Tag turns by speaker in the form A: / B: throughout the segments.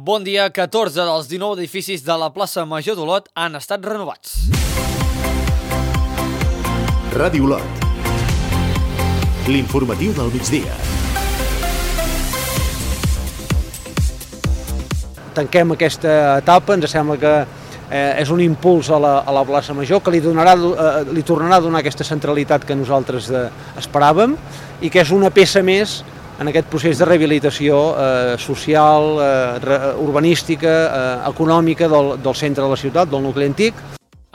A: Bon dia, 14 dels 19 edificis de la plaça Major d'Olot han estat renovats.
B: Ràdio Olot. L'informatiu del migdia.
C: Tanquem aquesta etapa, ens sembla que és un impuls a la plaça Major que li tornarà a donar aquesta centralitat que nosaltres esperàvem i que és una peça més en aquest procés de rehabilitació social, urbanística, econòmica del centre de la ciutat, del nucli antic.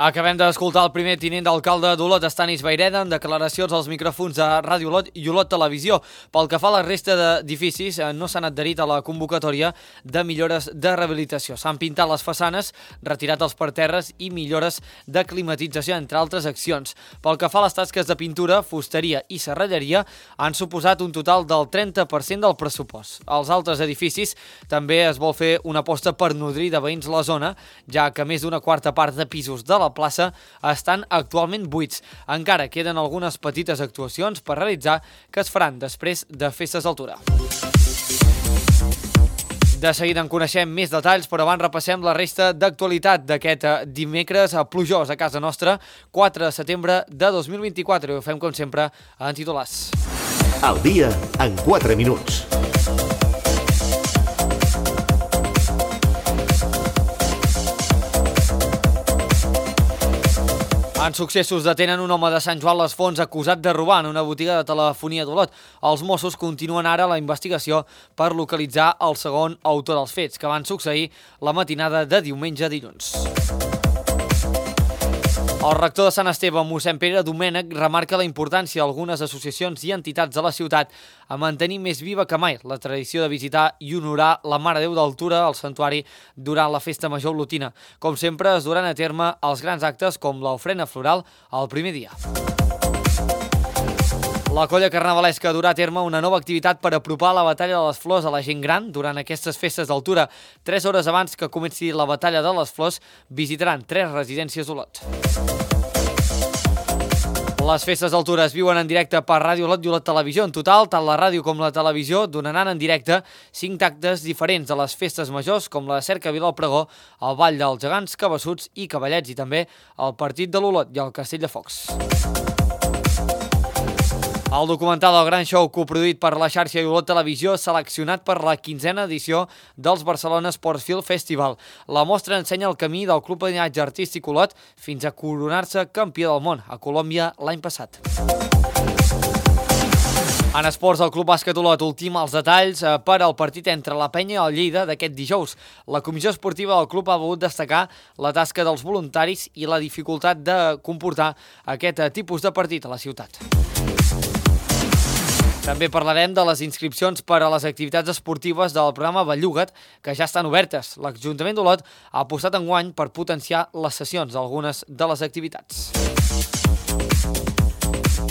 A: Acabem d'escoltar el primer tinent d'alcalde d'Olot, Estanis Vayreda, amb declaracions als micròfons de Ràdio Olot i Olot Televisió. Pel que fa a la resta d'edificis, no s'han adherit a la convocatòria de millores de rehabilitació. S'han pintat les façanes, retirat els parterres i millores de climatització, entre altres accions. Pel que fa a les tasques de pintura, fusteria i serralleria, han suposat un total del 30% del pressupost. Als altres edificis també es vol fer una aposta per nodrir de veïns la zona, ja que més d'una quarta part de pisos de la plaça estan actualment buits. Encara queden algunes petites actuacions per realitzar que es faran després de festes d'altura. De seguida en coneixem més detalls, però abans repassem la resta d'actualitat d'aquest dimecres plujós a casa nostra, 4 de setembre de 2024. I ho fem, com sempre, en titulars.
B: Al dia, en 4 minuts.
A: En successos detenen un home de Sant Joan les Fonts acusat de robar en una botiga de telefonia d'Olot. Els Mossos continuen ara la investigació per localitzar el segon autor dels fets, que van succeir la matinada de diumenge a dilluns. El rector de Sant Esteve, mossèn Pere Domènech, remarca la importància d'algunes associacions i entitats de la ciutat a mantenir més viva que mai la tradició de visitar i honorar la Mare de Déu d'Altura al santuari durant la festa major olotina. Com sempre, es duran a terme els grans actes com l'ofrena floral el primer dia. La colla carnavalesca durà a terme una nova activitat per apropar la batalla de les flors a la gent gran durant aquestes festes d'altura. 3 hores abans que comenci la batalla de les flors, visitaran 3 residències d'Olot. Les festes d'altura es viuen en directe per Ràdio Olot i Olot Televisió. En total, tant la ràdio com la televisió donaran en directe 5 actes diferents de les festes majors, com la cercavila al Pregó, el Ball dels Gegants, Cabassuts i Cavallets, i també el Partit de l'Olot i el Castell de Focs. El documental El Gran Show, coproduït per la xarxa i Olot Televisió, seleccionat per la 15a edició dels Barcelona Sports Film Festival. La mostra ensenya el camí del Club Patinatge Artístic Olot fins a coronar-se campió del món a Colòmbia l'any passat. En esports, el Club Bàsquet Olot ultima els detalls per al partit entre la Penya i el Lleida d'aquest dijous. La comissió esportiva del club ha volgut destacar la tasca dels voluntaris i la dificultat de comportar aquest tipus de partit a la ciutat. També parlarem de les inscripcions per a les activitats esportives del programa Belluga't, que ja estan obertes. L'Ajuntament d'Olot ha apostat enguany per potenciar les sessions d'algunes de les activitats.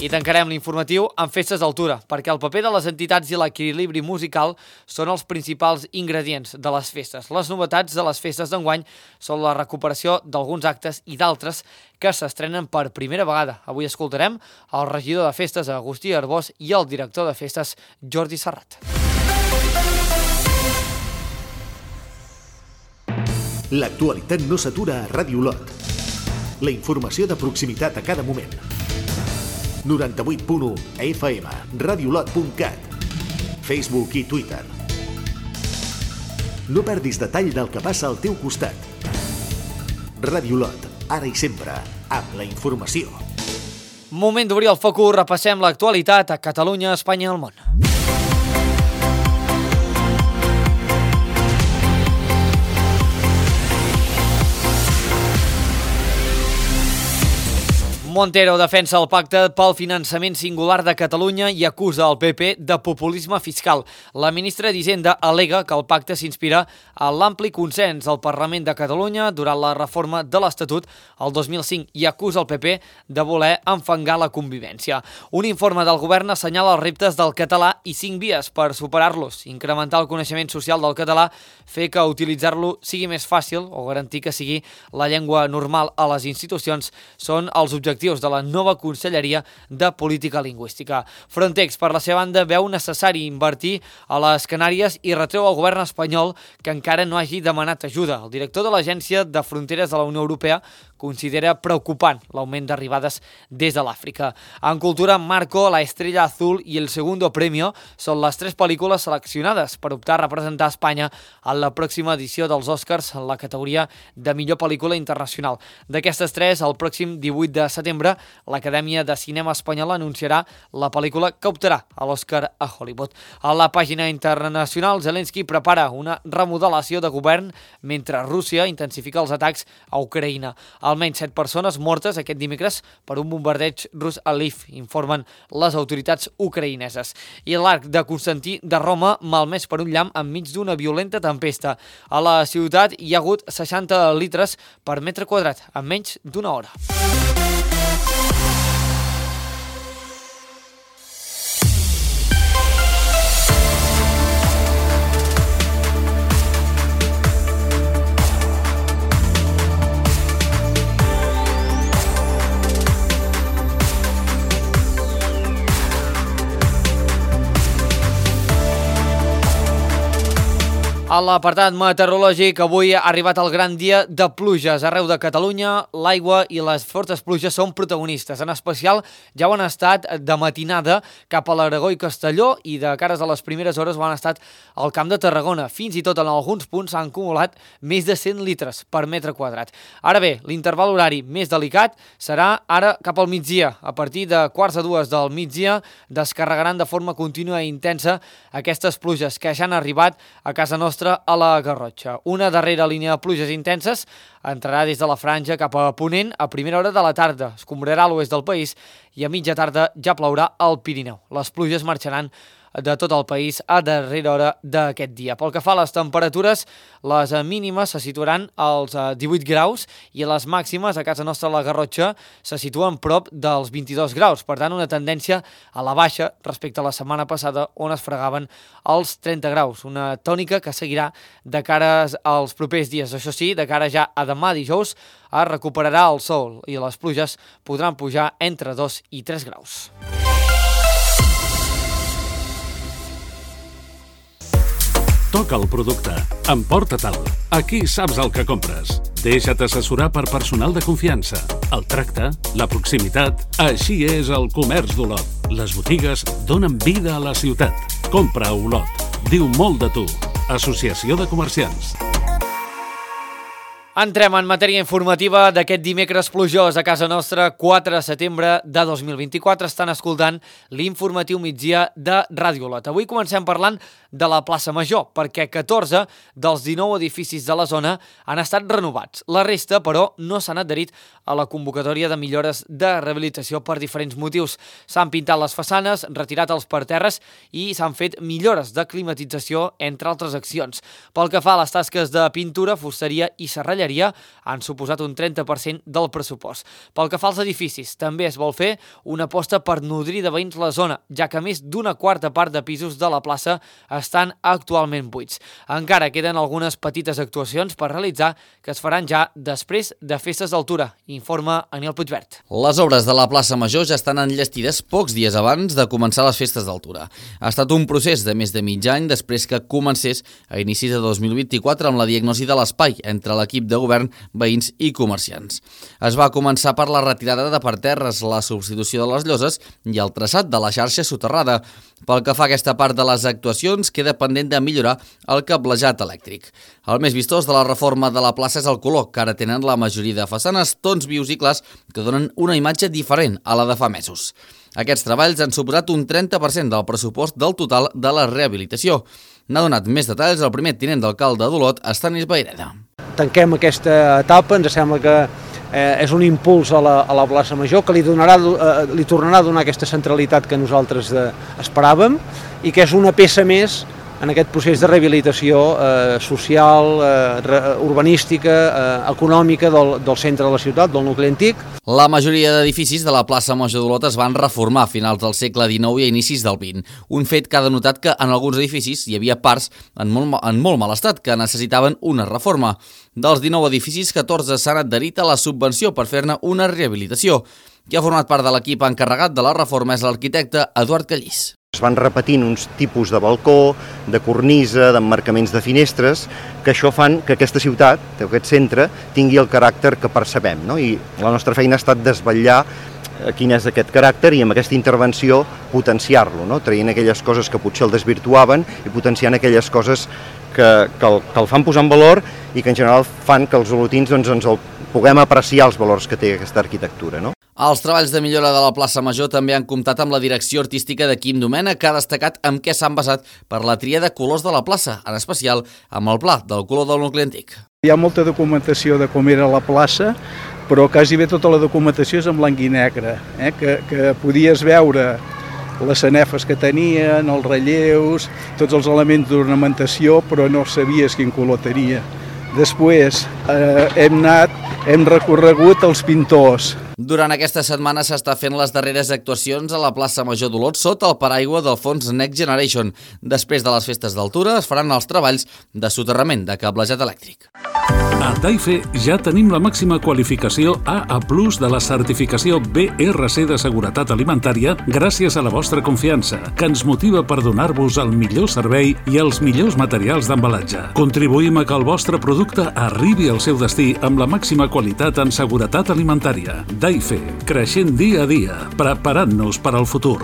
A: I tancarem l'informatiu amb festes d'altura, perquè el paper de les entitats i l'equilibri musical són els principals ingredients de les festes. Les novetats de les festes d'enguany són la recuperació d'alguns actes i d'altres que s'estrenen per primera vegada. Avui escoltarem el regidor de festes Agustí Arbós i el director de festes Jordi Serrat.
B: L'actualitat no s'atura a Ràdio Olot. La informació de proximitat a cada moment. 98.1 FM, radiolot.cat, Facebook i Twitter. No perdis detall del que passa al teu costat. Ràdio Olot, ara i sempre, amb la informació.
A: Moment d'obrir el focus, repassem l'actualitat a Catalunya, Espanya i el món. Montero defensa el pacte pel finançament singular de Catalunya i acusa el PP de populisme fiscal. La ministra d'Hisenda al·lega que el pacte s'inspira en l'ampli consens al Parlament de Catalunya durant la reforma de l'Estatut el 2005 i acusa el PP de voler enfangar la convivència. Un informe del govern assenyala els reptes del català i 5 vies per superar-los. Incrementar el coneixement social del català, fer que utilitzar-lo sigui més fàcil o garantir que sigui la llengua normal a les institucions són els objectius objectius de la nova Conselleria de Política Lingüística. Frontex, per la seva banda, veu necessari invertir a les Canàries i retreu al govern espanyol que encara no hagi demanat ajuda. El director de l'Agència de Fronteres de la Unió Europea considera preocupant l'augment d'arribades des de l'Àfrica. En cultura, Marco, La Estrella Azul i El Segundo Premio són les 3 pel·lícules seleccionades per optar a representar Espanya en la pròxima edició dels Oscars en la categoria de millor pel·lícula internacional. D'aquestes 3, el pròxim 18 de setembre, l'Acadèmia de Cinema Espanyola anunciarà la pel·lícula que optarà a l'Oscar a Hollywood. A la pàgina internacional, Zelensky prepara una remodelació de govern mentre Rússia intensifica els atacs a Ucraïna. Almenys 7 persones mortes aquest dimecres per un bombardeig rus a Lviv, informen les autoritats ucraïneses. I l'arc de Constantí de Roma malmès per un llamp enmig d'una violenta tempesta. A la ciutat hi ha hagut 60 litres per metre quadrat en menys d'una hora. A l'apartat meteorològic, avui ha arribat el gran dia de pluges. Arreu de Catalunya, l'aigua i les fortes pluges són protagonistes. En especial, ja ho han estat de matinada cap a l'Aragó i Castelló i de cares a les primeres hores ho han estat al Camp de Tarragona. Fins i tot en alguns punts s'han acumulat més de 100 litres per metre quadrat. Ara bé, l'interval horari més delicat serà ara cap al migdia. A partir de 1:45 del migdia descarregaran de forma contínua i intensa aquestes pluges que ja han arribat a casa nostra a la Garrotxa. Una darrera línia de pluges intenses entrarà des de la franja cap a ponent a primera hora de la tarda. Escombrarà l'oest del país i a mitja tarda ja plourà al Pirineu. Les pluges marxaran de tot el país a darrera hora d'aquest dia. Pel que fa a les temperatures, les mínimes se situaran als 18 graus i les màximes a casa nostra a la Garrotxa se situen prop dels 22 graus. Per tant, una tendència a la baixa respecte a la setmana passada on es fregaven els 30 graus. Una tònica que seguirà de cara als propers dies. Això sí, de cara ja a demà dijous es recuperarà el sol i les pluges podran pujar entre 2 i 3 graus.
D: Toca el producte. Emporta-te'l. Aquí saps el que compres. Deixa't assessorar per personal de confiança. El tracte, la proximitat... Així és el comerç d'Olot. Les botigues donen vida a la ciutat. Compra a Olot. Diu molt de tu. Associació de Comerciants.
A: Entrem en matèria informativa d'aquest dimecres plujós a casa nostra, 4 de setembre de 2024. Estan escoltant l'informatiu migdia de Ràdio Olot. Avui comencem parlant de la plaça Major, perquè 14 dels 19 edificis de la zona han estat renovats. La resta, però, no s'han adherit a la convocatòria de millores de rehabilitació per diferents motius. S'han pintat les façanes, retirat els parterres i s'han fet millores de climatització, entre altres accions. Pel que fa a les tasques de pintura, fusteria i serralleria, han suposat un 30% del pressupost. Pel que fa als edificis, també es vol fer una aposta per nodrir de veïns la zona, ja que més d'una quarta part de pisos de la plaça estan actualment buits. Encara queden algunes petites actuacions per realitzar que es faran ja després de festes d'altura, informa Aniel Puigvert.
E: Les obres de la plaça Major ja estan enllestides pocs dies abans de començar les festes d'altura. Ha estat un procés de més de mig any després que comencés a inicis de 2024 amb la diagnosi de l'espai entre l'equip de govern, veïns i comerciants. Es va començar per la retirada de parterres, la substitució de les lloses i el traçat de la xarxa soterrada. Pel que fa a aquesta part de les actuacions, queda pendent de millorar el cablejat elèctric. El més vistós de la reforma de la plaça és el color, que ara tenen la majoria de façanes tons vius i clars que donen una imatge diferent a la de fa mesos. Aquests treballs han suposat un 30% del pressupost del total de la rehabilitació. N'ha donat més detalls el primer tinent d'alcalde d'Olot, Estanis Vayreda.
C: Tanquem aquesta etapa, ens sembla que és un impuls a la plaça Major que li tornarà a donar aquesta centralitat que nosaltres esperàvem i que és una peça més en aquest procés de rehabilitació social, urbanística, econòmica del centre de la ciutat, del nucli antic.
E: La majoria d'edificis de la plaça Major d'Olot es van reformar a finals del segle XIX i a inicis del XX. Un fet que ha denotat que en alguns edificis hi havia parts en molt mal estat que necessitaven una reforma. Dels 19 edificis, 14 s'han adherit a la subvenció per fer-ne una rehabilitació. Qui ha format part de l'equip encarregat de la reforma és l'arquitecte Eduard Callís.
F: Es van repetint uns tipus de balcó, de cornisa, d'emmarcaments de finestres, que això fan que aquesta ciutat, aquest centre, tingui el caràcter que percebem, no? I la nostra feina ha estat desvetllar quin és aquest caràcter i amb aquesta intervenció potenciar-lo, no? Traient aquelles coses que potser el desvirtuaven i potenciant aquelles coses que el fan posar en valor i que en general fan que els olotins ens puguem apreciar els valors que té aquesta arquitectura, no?
E: Els treballs de millora de la plaça Major també han comptat amb la direcció artística de Quim Domènech, que ha destacat amb què s'han basat per la tria de colors de la plaça, en especial amb el pla del color del nucli antic.
G: Hi ha molta documentació de com era la plaça, però quasi bé tota la documentació és en blanc i negre, que podies veure les sanefes que tenien, els relleus, tots els elements d'ornamentació, però no sabies quin color tenia. Després hem recorregut els pintors.
E: Durant aquesta setmana s'està fent les darreres actuacions a la plaça Major d'Olot sota el paraigua del fons Next Generation. Després de les festes d'altura es faran els treballs de soterrament de cablejat elèctric.
D: A Daife ja tenim la màxima qualificació AA+ de la certificació BRC de seguretat alimentària gràcies a la vostra confiança, que ens motiva per donar-vos el millor servei i els millors materials d'embalatge. Contribuïm a que el vostre producte arribi al seu destí amb la màxima qualitat en seguretat alimentària. Daife, creixent dia a dia, preparant-nos per al futur.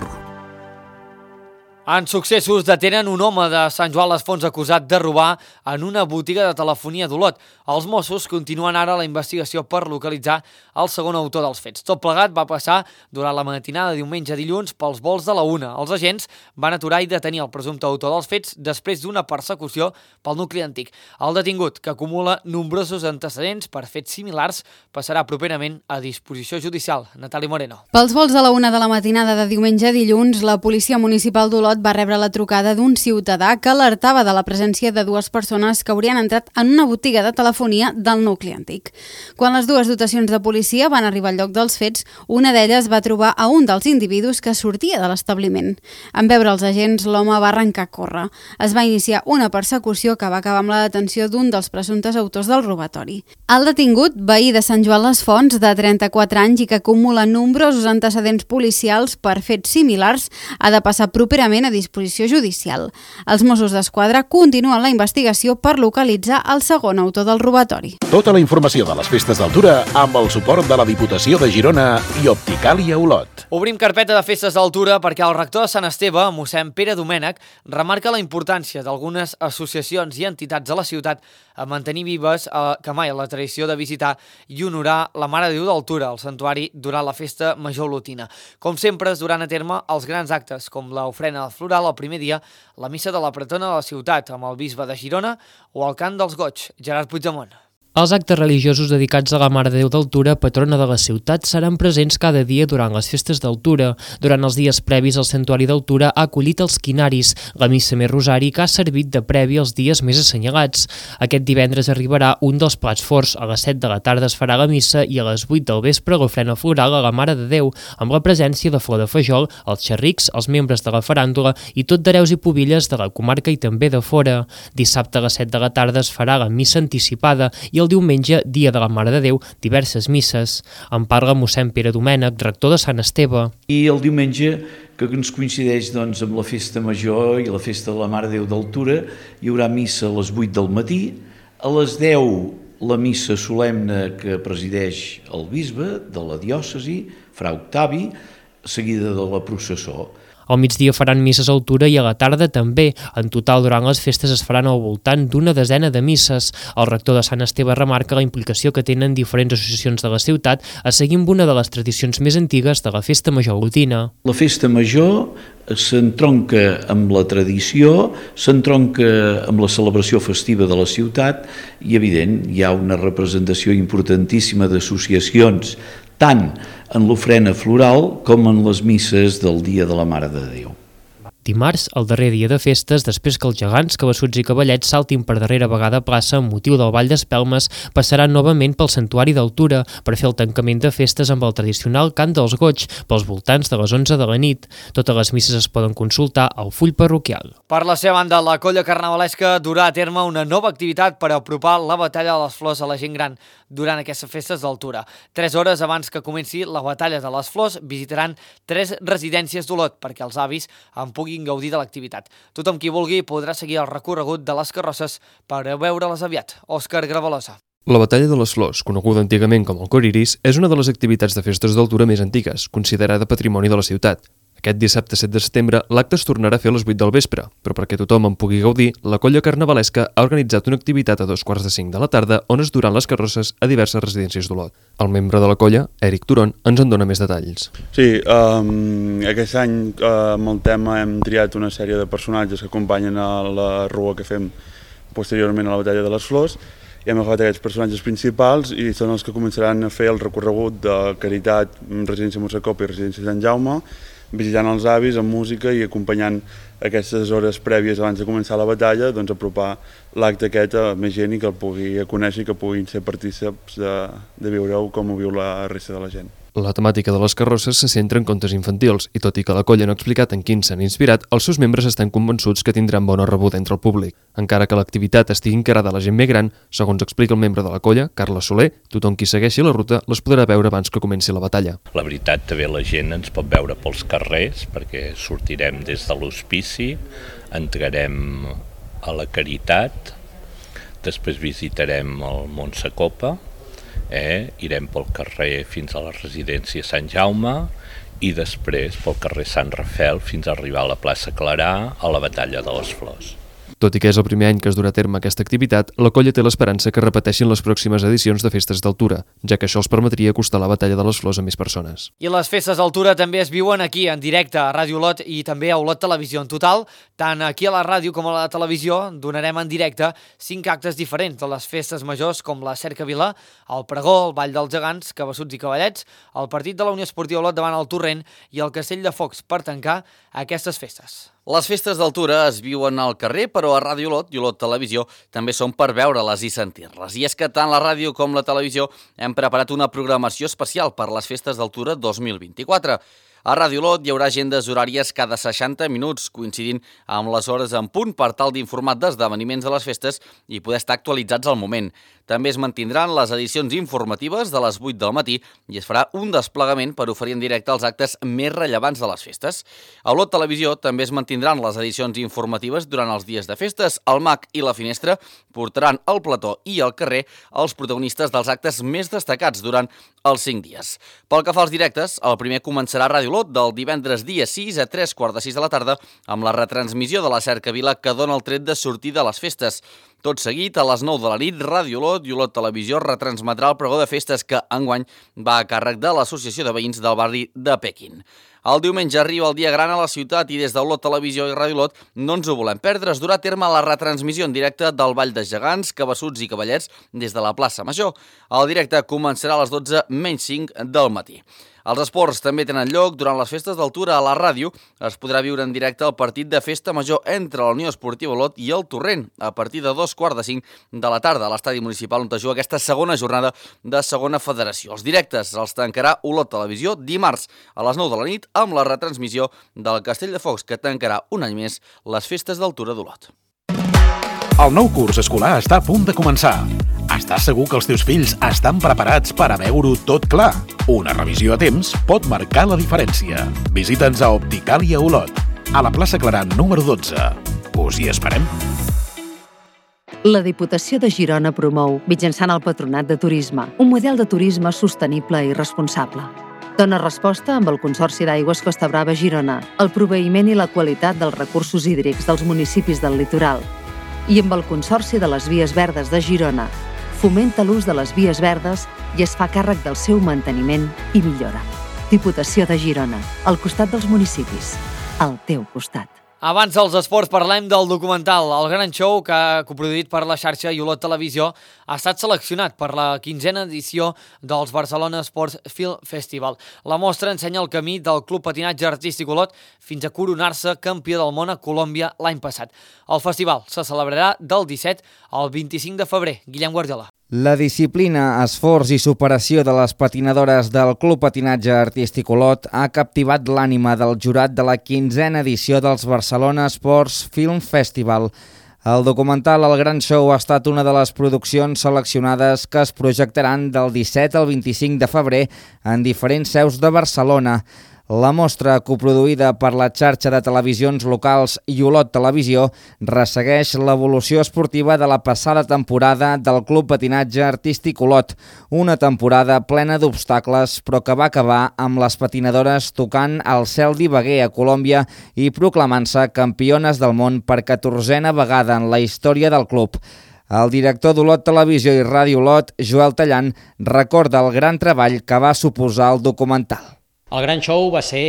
A: En successos detenen un home de Sant Joan les Fonts acusat de robar en una botiga de telefonia d'Olot. Els Mossos continuen ara la investigació per localitzar el segon autor dels fets. Tot plegat va passar durant la matinada de diumenge a dilluns pels volts de la 1. Els agents van aturar i detenir el presumpte autor dels fets després d'una persecució pel nucli antic. El detingut, que acumula nombrosos antecedents per fets similars, passarà properament a disposició judicial. Natàlia Moreno.
H: Pels volts de la 1 de la matinada de diumenge a dilluns, la Policia Municipal d'Olot va rebre la trucada d'un ciutadà que alertava de la presència de dues persones que haurien entrat en una botiga de telefonia del nucli antic. Quan les dues dotacions de policia van arribar al lloc dels fets, una d'elles va trobar a un dels individus que sortia de l'establiment. En veure els agents, l'home va arrencar a córrer. Es va iniciar una persecució que va acabar amb la detenció d'un dels presumptes autors del robatori. El detingut, veí de Sant Joan les Fonts, de 34 anys i que acumula nombrosos antecedents policials per fets similars, ha de passar properament a disposició judicial. Els Mossos d'Esquadra continuen la investigació per localitzar el segon autor del robatori.
B: Tota la informació de les festes d'altura amb el suport de la Diputació de Girona i Opticàlia Olot.
A: Obrim carpeta de festes d'altura perquè el rector de Sant Esteve, mossèn Pere Domènech, remarca la importància d'algunes associacions i entitats de la ciutat a mantenir vives que mai la tradició de visitar i honorar la Mare de Déu d'Altura, al santuari, durant la festa major olotina. Com sempre, es duran a terme els grans actes, com l'ofrena floral el primer dia, la missa de la pretona de la ciutat amb el bisbe de Girona o el cant dels goigs, Gerard Puigdemont.
I: Els actes religiosos dedicats a la Mare de Déu d'Altura, patrona de la ciutat, seran presents cada dia durant les festes d'Altura. Durant els dies previs, el Santuari d'Altura ha acollit els quinaris, la missa més rosari que ha servit de previ als dies més assenyalats. Aquest divendres arribarà un dels plats forts. A les 7 de la tarda es farà la missa i a les 8 del vespre l'ofrena floral a la Mare de Déu, amb la presència de flor de fajol, els xerrics, els membres de la faràndula i tot d'hereus i pubilles de la comarca i també de fora. Dissabte a les 7 de la tarda es farà la missa anticipada i el diumenge, dia de la Mare de Déu, diverses misses. En parla mossèn Pere Domènech, rector de Sant Esteve.
J: I el diumenge, que ens coincideix amb la festa major i la festa de la Mare de Déu d'Altura, hi haurà missa a les 8 del matí, a les 10 la missa solemne que presideix el bisbe de la diòcesi, fra Octavi, seguida de la processó.
I: Al migdia faran misses a altura i a la tarda també. En total, durant les festes es faran al voltant d'una desena de misses. El rector de Sant Esteve remarca la implicació que tenen diferents associacions de la ciutat a seguir amb una de les tradicions més antigues de la festa major olotina.
J: La festa major s'entronca amb la tradició, s'entronca amb la celebració festiva de la ciutat i, evident, hi ha una representació importantíssima d'associacions tant en l'ofrena floral com en les misses del Dia de la Mare de Déu.
I: dimarts, el darrer dia de festes, després que els gegants, cabassuts i cavallets saltin per darrera vegada a plaça amb motiu del Ball d'Espelmes, passaran novament pel Santuari d'Altura per fer el tancament de festes amb el tradicional cant dels goig pels voltants de les 11 de la nit. Totes les misses es poden consultar al full parroquial.
A: Per la seva banda, la colla carnavalesca durà a terme una nova activitat per apropar la batalla de les flors a la gent gran durant aquestes festes d'Altura. 3 hores abans que comenci la batalla de les flors, visitaran 3 residències d'Olot perquè els avis en puguin gaudir de l'activitat. Tothom qui vulgui podrà seguir el recorregut de les carrosses per veure-les aviat. Òscar Gravalosa.
K: La Batalla de les Flors, coneguda antigament com el Coriris, és una de les activitats de festes d'Altura més antigues, considerada patrimoni de la ciutat. Aquest dissabte 7 de setembre l'acte es tornarà a fer a les 8 del vespre, però perquè tothom en pugui gaudir, la colla carnavalesca ha organitzat una activitat a 2:45 de la tarda on es duran les carrosses a diverses residències d'Olot. El membre de la colla, Eric Turon, ens en dona més detalls.
L: Sí, aquest any amb el tema hem triat una sèrie de personatges que acompanyen a la rua que fem posteriorment a la Batalla de les Flors i hem agafat aquests personatges principals i són els que començaran a fer el recorregut de Caritat, Residència Montsecopa i Residència Sant Jaume, visitant els avis amb música i acompanyant aquestes hores prèvies abans de començar la batalla, doncs apropar l'acte aquest a més gent i que el pugui conèixer i que puguin ser partícips de viure-ho com ho viu la resta de la gent.
K: La temàtica de les carrosses se centra en contes infantils i tot i que la colla no ha explicat en quins s'han inspirat, els seus membres estan convençuts que tindran bona rebuda entre el públic. Encara que l'activitat estigui encarada a la gent més gran, segons explica el membre de la colla, Carles Soler, tothom qui segueixi la ruta les podrà veure abans que comenci la batalla.
M: La veritat, també la gent ens pot veure pels carrers perquè sortirem des de l'hospici, entrarem a la Caritat, després visitarem el Montsecopa, irem pel carrer fins a la residència Sant Jaume i després pel carrer Sant Rafel fins a arribar a la plaça Clarà a la Batalla de les Flors.
K: Tot i que és el primer any que es durà a terme aquesta activitat, la colla té l'esperança que repeteixin les pròximes edicions de festes d'Altura, ja que això els permetria acostar la Batalla de les Flors a més persones.
A: I les festes d'Altura també es viuen aquí, en directe, a Ràdio Olot i també a Olot Televisió. En total, tant aquí a la ràdio com a la televisió, donarem en directe 5 actes diferents de les festes majors com la Cercavila, el Pregó, el Ball dels Gegants, Cabassuts i Cavallets, el partit de la Unió Esportiva Olot davant el Torrent i el Castell de Focs per tancar aquestes festes.
E: Les festes d'Altura es viuen al carrer, però a Ràdio Olot i Olot Televisió també són per veure-les i sentir-les. I és que tant la ràdio com la televisió hem preparat una programació especial per les festes d'Altura 2024. A Ràdio Olot hi haurà agendes horàries cada 60 minuts, coincidint amb les hores en punt per tal d'informar d'esdeveniments de les festes i poder estar actualitzats al moment. També es mantindran les edicions informatives de les 8 del matí i es farà un desplegament per oferir en directe els actes més rellevants de les festes. A Olot Televisió també es mantindran les edicions informatives durant els dies de festes. El MAC i la Finestra portaran al plató i al carrer els protagonistes dels actes més destacats durant els 5 dies. Pel que fa als directes, el primer començarà a Ràdio Olot del divendres dia 6 a 3:45 de la tarda amb la retransmissió de la Cercavila que dona el tret de sortida a les festes. Tot seguit, a les 9 de la nit, Ràdio Olot i Olot Televisió retransmetrà el pregó de festes que enguany va a càrrec de l'Associació de Veïns del barri de Pequín. El diumenge arriba el dia gran a la ciutat i des d'Olot Televisió i Ràdio Olot no ens ho volem perdre. Es durà a terme la retransmissió en directe del Ball de Gegants, Cabassuts i Cavallets des de la plaça Major. El directe començarà a les 12:05 del matí. Els esports també tenen lloc durant les festes d'Altura. A la ràdio es podrà viure en directe el partit de festa major entre la Unió Esportiva Olot i el Torrent a partir de 2:45 de la tarda a l'estadi municipal on es juga aquesta segona jornada de segona federació. Els directes els tancarà Olot Televisió dimarts a les 9 de la nit amb la retransmissió del Castell de Focs que tancarà un any més les festes d'Altura d'Olot.
B: El nou curs escolar està a punt de començar. Estàs segur que els teus fills estan preparats per a veure-ho tot clar? Una revisió a temps pot marcar la diferència. Visita'ns a Opticàlia Olot, a la plaça Clarà número 12. Us hi esperem.
N: La Diputació de Girona promou, mitjançant el Patronat de Turisme, un model de turisme sostenible i responsable. Dona resposta amb el Consorci d'Aigües Costa Brava Girona, el proveïment i la qualitat dels recursos hídrics dels municipis del litoral, i amb el Consorci de les Vies Verdes de Girona, fomenta l'ús de les vies verdes i es fa càrrec del seu manteniment i millora. Diputació de Girona, al costat dels municipis, al teu costat.
A: Abans dels esports parlem del documental El Gran Show, que ha coproduït per la xarxa i Olot Televisió, ha estat seleccionat per la 15a edició dels Barcelona Sports Film Festival. La mostra ensenya el camí del Club Patinatge Artístic Olot fins a coronar-se campió del món a Colòmbia l'any passat. El festival se celebrarà del 17 al 25 de febrer. Guillem Guardiola.
O: La disciplina, esforç i superació de les patinadores del Club Patinatge Artístic Olot ha captivat l'ànima del jurat de la 15a edició dels Barcelona Sports Film Festival. El documental El Gran Show ha estat una de les produccions seleccionades que es projectaran del 17 al 25 de febrer en diferents seus de Barcelona. La mostra, coproduïda per la xarxa de televisions locals i Olot Televisió, ressegueix l'evolució esportiva de la passada temporada del Club Patinatge Artístic Olot, una temporada plena d'obstacles, però que va acabar amb les patinadores tocant el cel d'Ibagué a Colòmbia i proclamant-se campiones del món per 14a vegada en la història del club. El director d'Olot Televisió i Ràdio Olot, Joel Tallant, recorda el gran treball que va suposar el documental.
P: El Gran Show va ser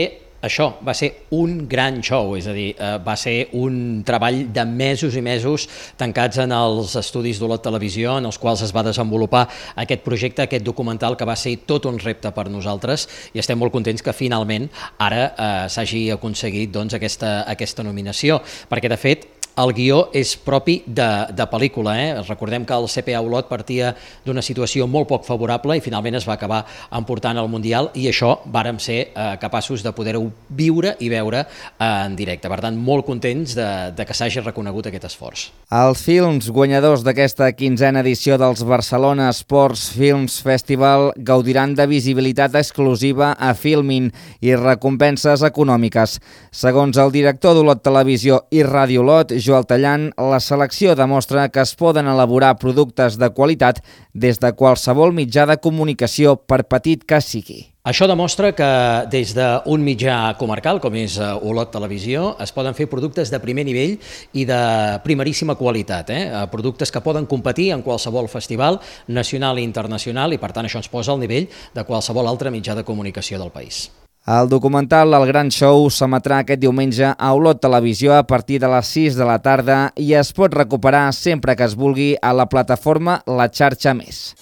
P: això, va ser un gran show, és a dir, va ser un treball de mesos i mesos tancats en els estudis d'Olot Televisió, en els quals es va desenvolupar aquest projecte, aquest documental, que va ser tot un repte per nosaltres, i estem molt contents que finalment ara s'hagi aconseguit doncs, aquesta nominació, perquè de fet el guió és propi de pel·lícula. Recordem que el CPA Olot partia d'una situació molt poc favorable i finalment es va acabar emportant al Mundial, i això vàrem ser capaços de poder-ho viure i veure en directe. Per tant, molt contents de que s'hagi reconegut aquest esforç.
O: Els films guanyadors d'aquesta 15a edició dels Barcelona Sports Films Festival gaudiran de visibilitat exclusiva a Filmin i recompenses econòmiques. Segons el director d'Olot Televisió i Ràdio Olot, Joel Tallant, la selecció demostra que es poden elaborar productes de qualitat des de qualsevol mitjà de comunicació, per petit que sigui.
P: Això demostra que des d'un mitjà comarcal, com és Olot Televisió, es poden fer productes de primer nivell i de primeríssima qualitat, productes que poden competir en qualsevol festival nacional i internacional, i per tant això ens posa al nivell de qualsevol altre mitjà de comunicació del país.
O: El documental El Gran Show s'emetrà aquest diumenge a Olot Televisió a partir de les 6 de la tarda i es pot recuperar sempre que es vulgui a la plataforma La Xarxa Més.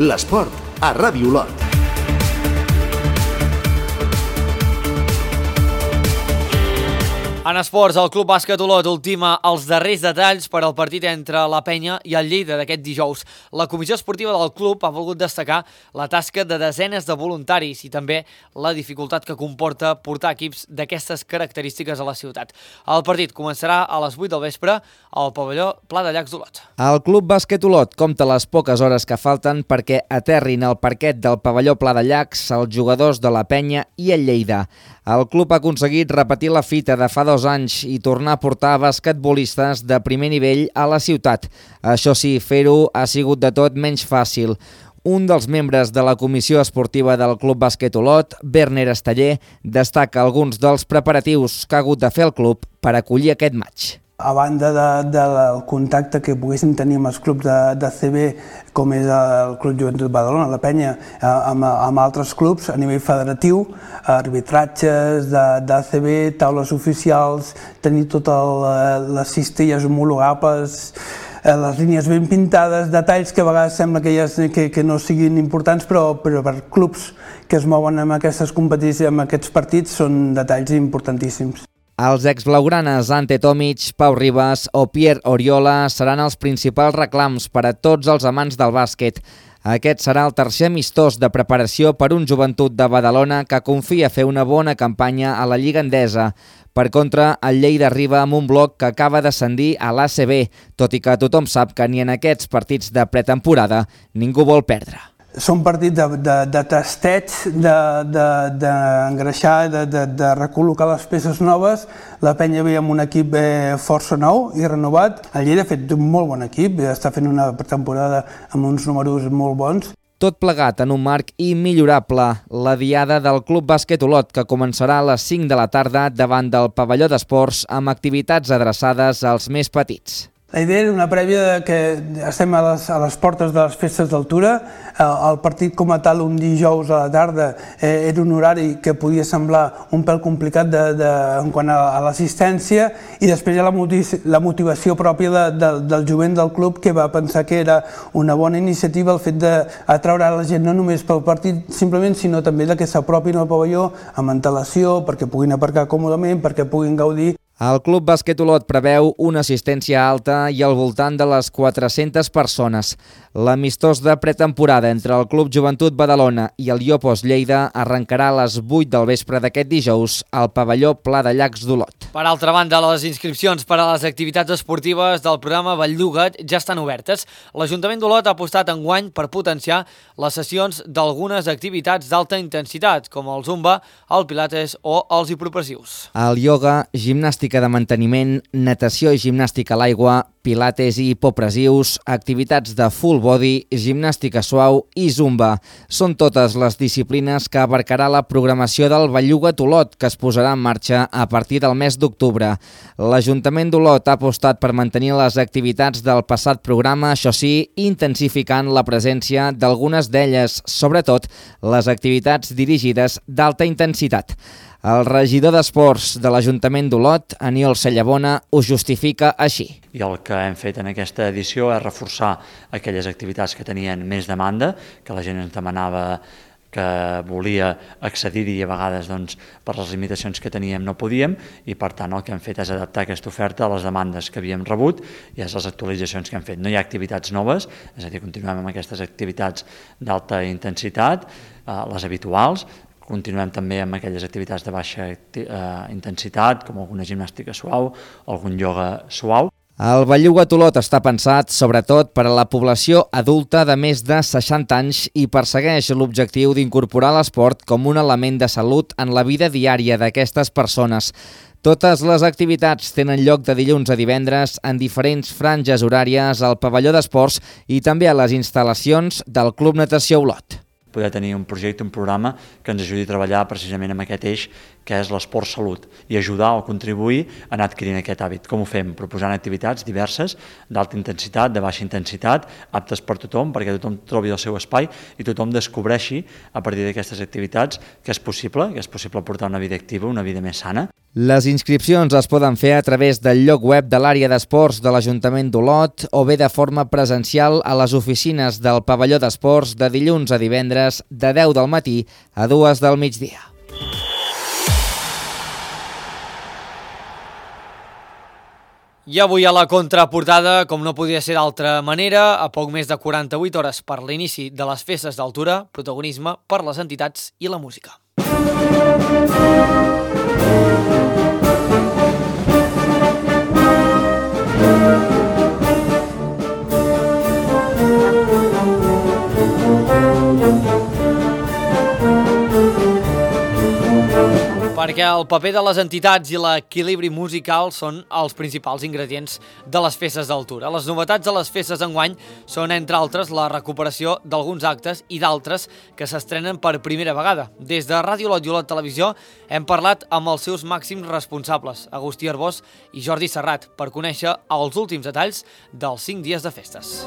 B: L'esport a Ràdio Olot.
A: En esports, el Club Bàsquet Olot ultima els darrers detalls per al partit entre la Penya i el Lleida d'aquest dijous. La comissió esportiva del club ha volgut destacar la tasca de desenes de voluntaris i també la dificultat que comporta portar equips d'aquestes característiques a la ciutat. El partit començarà a les 8 del vespre al pavelló Pla de Llacs d'Olot.
O: El Club Bàsquet Olot compta les poques hores que falten perquè aterrin al parquet del pavelló Pla de Llacs els jugadors de la Penya i el Lleida. El club ha aconseguit repetir la fita de fa 2 anys i tornar a portar basquetbolistes de primer nivell a la ciutat. Això sí, fer-ho ha sigut de tot menys fàcil. Un dels membres de la comissió esportiva del Club Bàsquet Olot, Werner Esteller, destaca alguns dels preparatius que ha hagut de fer el club per acollir aquest maig.
Q: A banda del contacte que poguéssim tenir amb els clubs de CB, com és el Club Joventut Badalona, la Penya, amb altres clubs a nivell federatiu, arbitratges d'ACB, taules oficials, tenir totes les cistelles homologables, les línies ben pintades, detalls que a vegades sembla que no siguin importants, però per clubs que es mouen amb aquestes competicions, amb aquests partits, són detalls importantíssims.
O: Els exblaugranes Ante Tomic, Pau Ribas o Pierre Oriola seran els principals reclams per a tots els amants del bàsquet. Aquest serà el tercer amistós de preparació per un Joventut de Badalona que confia fer una bona campanya a la Lliga Endesa. Per contra, el Lleida arriba amb un bloc que acaba d'ascendir a l'ACB, tot i que tothom sap que ni en aquests partits de pretemporada ningú vol perdre.
Q: Són partits de testeig, d'engreixar, de recol·locar les peces noves. La Penya ve amb un equip força nou i renovat. El Lleida ha fet un molt bon equip, està fent una temporada amb uns números molt bons.
O: Tot plegat en un marc immillorable, la diada del Club Bàsquet Olot, que començarà a les 5 de la tarda davant del pavelló d'esports amb activitats adreçades als més petits.
Q: La idea era una prèvia que estem a les portes de les festes d'altura. El partit com a tal, un dijous a la tarda, era un horari que podia semblar un pèl complicat en quant a l'assistència, i després hi ha la motivació pròpia del jovent del club, que va pensar que era una bona iniciativa el fet d'atraure la gent no només pel partit simplement, sinó també que s'apropin al pavelló amb antelació, perquè puguin aparcar còmodament, perquè puguin gaudir.
O: El Club Bàsquet Olot preveu una assistència alta i al voltant de les 400 persones. L'amistós de pretemporada entre el Club Joventut Badalona i el Iopos Lleida arrencarà a les 8 del vespre d'aquest dijous al pavelló Pla de Llacs d'Olot.
A: Per altra banda, les inscripcions per a les activitats esportives del programa Belluga't ja estan obertes. L'Ajuntament d'Olot ha apostat enguany per potenciar les sessions d'algunes activitats d'alta intensitat, com el zumba, el pilates o els hipopressius.
O: El ioga, gimnàstica de manteniment, natació i gimnàstica a l'aigua, pilates i hipopressius, activitats de full body, gimnàstica suau i zumba. Són totes les disciplines que abarcarà la programació del Belluga't Olot, que es posarà en marxa a partir del mes d'octubre. L'Ajuntament d'Olot ha apostat per mantenir les activitats del passat programa, això sí, intensificant la presència d'algunes d'elles, sobretot les activitats dirigides d'alta intensitat. El regidor d'Esports de l'Ajuntament d'Olot, Aniol Cellabona, ho justifica així.
R: I el que hem fet en aquesta edició és reforçar aquelles activitats que tenien més demanda, que la gent ens demanava, que volia accedir-hi i a vegades per les limitacions que teníem no podíem, i per tant el que hem fet és adaptar aquesta oferta a les demandes que havíem rebut i a les actualitzacions que hem fet. No hi ha activitats noves, és a dir, continuem amb aquestes activitats d'alta intensitat, les habituals. Continuem també amb aquelles activitats de baixa intensitat, com alguna gimnàstica suau, algun ioga suau.
O: El Belluga't Olot està pensat sobretot per a la població adulta de més de 60 anys i persegueix l'objectiu d'incorporar l'esport com un element de salut en la vida diària d'aquestes persones. Totes les activitats tenen lloc de dilluns a divendres en diferents franges horàries al pavelló d'esports i també a les instal·lacions del Club Natació Olot.
R: Poder tenir un projecte, un programa que ens ajudi a treballar precisament amb aquest eix que és l'esport-salut i ajudar o contribuir a anar adquirint aquest hàbit. Com ho fem? Proposant activitats diverses, d'alta intensitat, de baixa intensitat, aptes per tothom, perquè tothom trobi el seu espai i tothom descobreixi a partir d'aquestes activitats que és possible portar una vida activa, una vida més sana.
O: Les inscripcions es poden fer a través del lloc web de l'àrea d'esports de l'Ajuntament d'Olot o bé de forma presencial a les oficines del pavelló d'esports de dilluns a divendres de 10 del matí a 2 del migdia.
A: I avui a la contraportada, com no podia ser d'altra manera, a poc més de 48 hores per l'inici de les festes d'altura, protagonisme per les entitats i la música. Perquè el paper de les entitats i l'equilibri musical són els principals ingredients de les festes d'altura. Les novetats de les festes d'enguany són, entre altres, la recuperació d'alguns actes i d'altres que s'estrenen per primera vegada. Des de Ràdio Olot i Olot Televisió hem parlat amb els seus màxims responsables, Agustí Arbós i Jordi Serrat, per conèixer els últims detalls dels 5 dies de festes.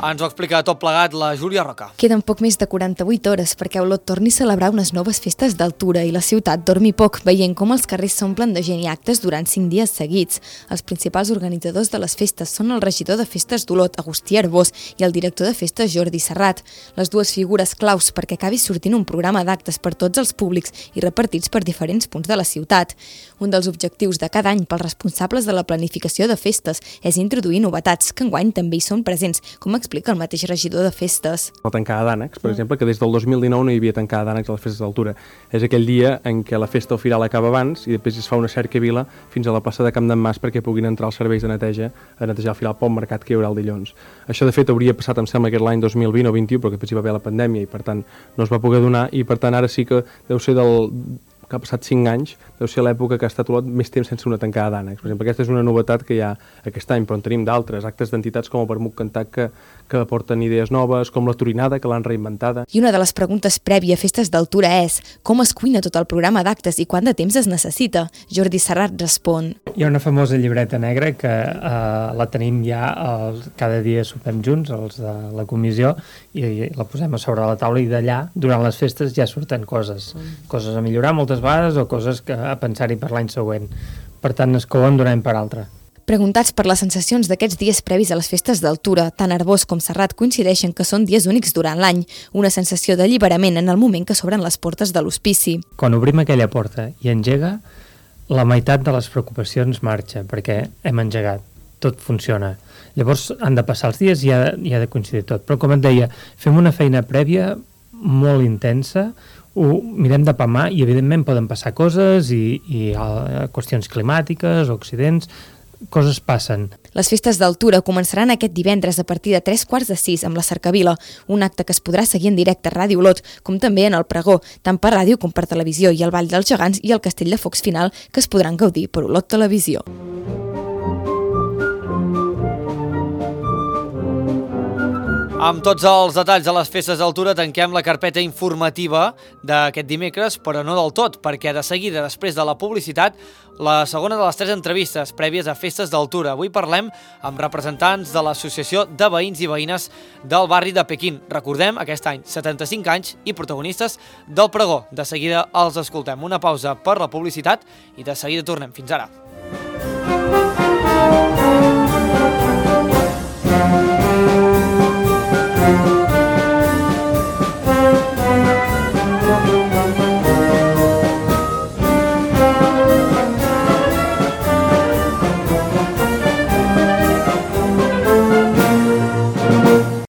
A: Ens ho explica tot plegat la Júlia Roca.
S: Queden poc més de 48 hores perquè Olot torni a celebrar unes noves festes d'altura i la ciutat dormi poc, veient com els carrers s'omplen de gent i actes durant 5 dies seguits. Els principals organitzadors de les festes són el regidor de festes d'Olot, Agustí Arbós, i el director de festes, Jordi Serrat. Les dues figures claus perquè acabi sortint un programa d'actes per tots els públics i repartits per diferents punts de la ciutat. Un dels objectius de cada any pels responsables de la planificació de festes és introduir novetats, que enguany també hi són presents, com explica el mateix regidor de festes.
T: La tancada d'ànecs, per exemple, que des del 2019 no hi havia tancada d'ànecs a les festes d'altura. És aquell dia en què la festa al final acaba abans i després es fa una cercavila fins a la plaça de Camp d'en Mas perquè puguin entrar els serveis de neteja a netejar al final pel mercat que hi haurà el dilluns. Això, de fet, hauria passat, em sembla, aquest l'any 2020 o 2021, però que després hi va haver la pandèmia i, per tant, no es va poder donar i, per tant, ara sí que deu ser que ha passat 5 anys, deu ser l'època que ha estat Olot més temps sense una tancada d'ànecs. Per exemple, aquesta és una novetat que hi ha aquest any, però en tenim d'altres, actes d'entitats com el Vermut Cantat que aporten idees noves, com la Turinada, que l'han reinventada.
S: I una de les preguntes prèvia a Festes d'Altura és com es cuina tot el programa d'actes i quant de temps es necessita? Jordi Serrat respon.
U: Hi ha una famosa llibreta negra que la tenim ja, cada dia sopem junts, els de la comissió, i la posem a sobre la taula i d'allà, durant les festes, ja surten coses a millorar moltes vegades o coses a pensar-hi per l'any següent. Per tant, es couen d'un any per altre.
S: Preguntats per les sensacions d'aquests dies previs a les festes d'Altura, tant Arbós com Serrat coincideixen que són dies únics durant l'any, una sensació d'alliberament en el moment que s'obren les portes de l'hospici.
U: Quan obrim aquella porta i engega, la meitat de les preocupacions marxa, perquè hem engegat, tot funciona. Llavors han de passar els dies i ha de coincidir tot. Però com et deia, fem una feina prèvia molt intensa, ho mirem de palmar i evidentment poden passar coses i qüestions climàtiques o accidents, coses passen.
S: Les festes d'Altura començaran aquest divendres a partir de 3:45 amb la Cercavila, un acte que es podrà seguir en directe a Ràdio Olot, com també en el Pregó, tant per ràdio com per televisió, i el Ball dels Gegants i el Castell de Focs final, que es podran gaudir per Olot Televisió.
A: Amb tots els detalls de les festes d'Altura tanquem la carpeta informativa d'aquest dimecres, però no del tot, perquè de seguida, després de la publicitat, la segona de les 3 entrevistes prèvies a festes d'Altura. Avui parlem amb representants de l'Associació de Veïns i Veïnes del barri de Pequín. Recordem, aquest any, 75 anys i protagonistes del Pregó. De seguida els escoltem. Una pausa per la publicitat i de seguida tornem. Fins ara.